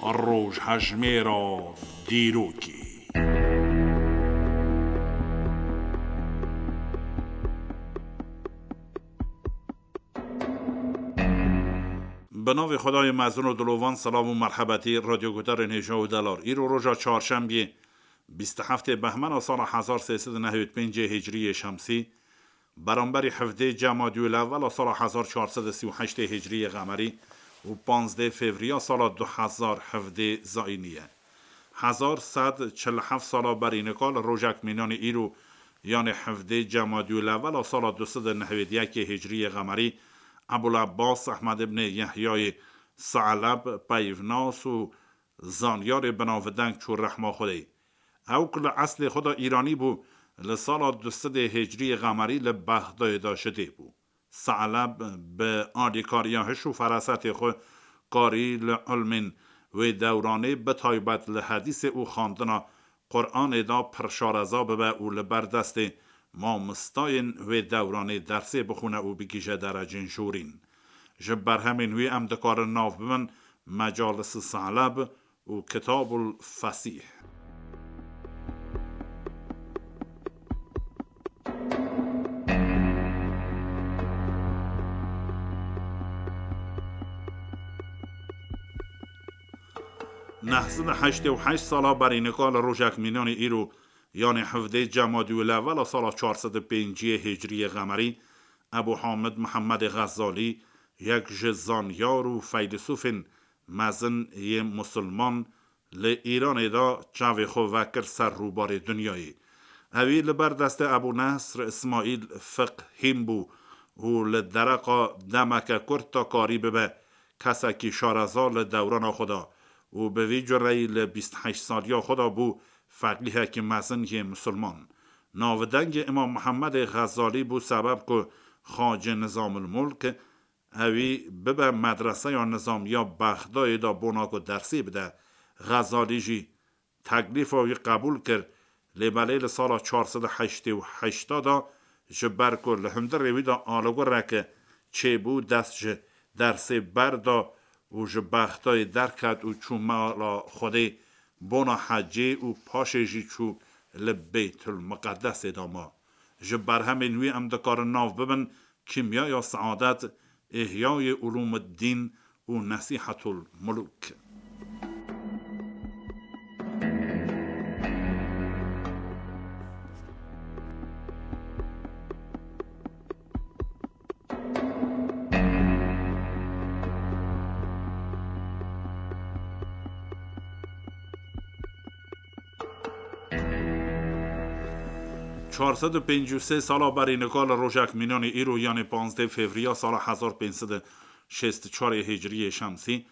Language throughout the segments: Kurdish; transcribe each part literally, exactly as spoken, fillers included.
Rojhejmêra dîrokê. Bi navê Xwedayê mezin û dilovan, silav û merhebetî radyoguhdarên hêja û delal. Îro roja çarşembiyê, bîst û heftê behmena sala hezar sê sed û nehwêd pêncê hicriyê şemsî, beramberî hevdê Cemadî û Lewela sala hezar çar sed û sî û heştê hicriyê qemerî û panzdê fevriya sala du hezar hevdê zayînî ye. Hezar sed çil heft sala berî nika li rojek mînanî îro, yanê hevdê Cemadî û Lewela sala du sed û nehwêd yekê hicriyê qemerî, Ebul Ebbas Ehmed ibnê Yehyayê Se'leb, peyvnas û zanyarê binavdeng çû rehma Xwedê. Ew ku li eslê xwe de Îranî bû, li sala du sedê hicriyê qemerî li Bexdayê de ji dê bû. Se'leb bi alîkariya hiş û ferasetê xwe karî li ilmên wê dewranê, bi taybet li hedîsê û xwendina Quranê de pir şareza bibe û li ber destê mamostayên wê dewranê dersê bixwîne û bigihîje derecên jorîn. Ji berhemên wî em dikarin nav bibin Mecalis Se'leb û Kitabul Fesîh. Neh sed û heştê û heşt sala berî nika li rojek mînanî îro, yanê hevdê Cemadî û Lewela sala çar sed û pênciyê hicriyê qemerî, Ebû Hamid Mihemedê Xezalî, yek ji zanyar û feylesûfên mezin yê misilman, li Îranê de çavê xwe vekir ser rûbarê dinyayê. Ewî li ber destê Ebû Nesr Îsmaîl Fiqhîn bû û li dereqa demeke kurt de karî bibe kesekî şareza li dewrana xwe de û bi vî cureyî li bîst û heşt saliya xwe de bû feqîhekî mezin yê misilman. Navdengê Îmam Mihemedê Xezalî bû sebeb ku Xacê Nizamulmulk ewî bibe medreseya nizamiya Bexdayê de bona ku dersê bide. Xezalî jî teklîfa wî qebûl kir, lê belê li sala çar sed û heştê û heşt de ji ber ku li hundirê wî de aligureke çêbû, dest ji dersê berda û ji Bexdayê derket û çû mala Xwedê bona hecê û paşê jî çû li Beytul Miqedesê de ma. Ji berhemên wî em dikarin nav bibin Kîmyaya Seadet, Îhyayê Ulûmiddîn û Nesîhetul Mulûk. Çar sed û pêncî û sê sala berî nika li rojek mînanî îro, yanê panzdeh fevriya sala hezar pênc sed û şêst û çar hicriyê şemsî,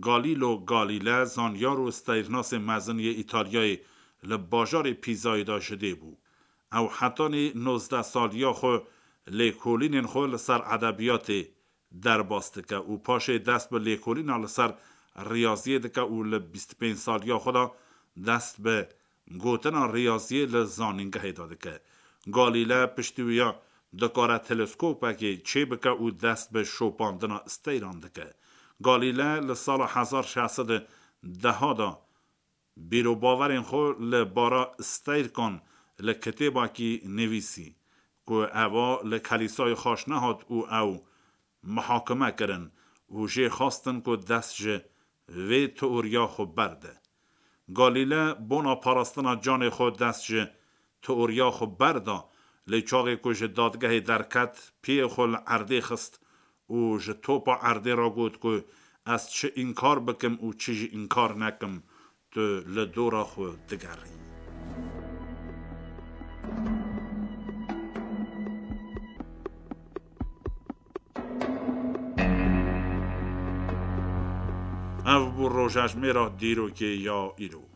Galîlo Galîle, zanyar û steyrnasê mezin yê Îtalyayê, li bajarê Pîzayê de ji dê bû. Ew hetanî nozdeh saliya xwe lêkolînên xwe li ser edebiyatê derbas dike û paşê dest bi lêkolîna li ser riyaziyê dike û li bîst û pênc saliya xwe de dest bi gotina riyaziyê li zanîngehê de dike. Galîle piştî wî ya dikare teleskopekê çêbike û dest bi şopandina steyran dike. Galîle li sala hezar şeş sed û deh de bîrobawerên xwe li bara steyrikan li kitêbakî nivîsî, ku eva li kelîsayê xaş nehat û ew muhakime kirin û jê xwestin ku dest ji vê teoriya xwe berde. Galîle bona parastina canê xwe dest ji teoriya xwe berda, lê çaxê ku ji dadgehê derket, piyê xwe li erdê xist û ji topa erdê re got ku ez çi înkar bikim û çi jî înkar nekim, tu li dora xwe digerî. Ev bû rojejmêra dîrokê ya îro.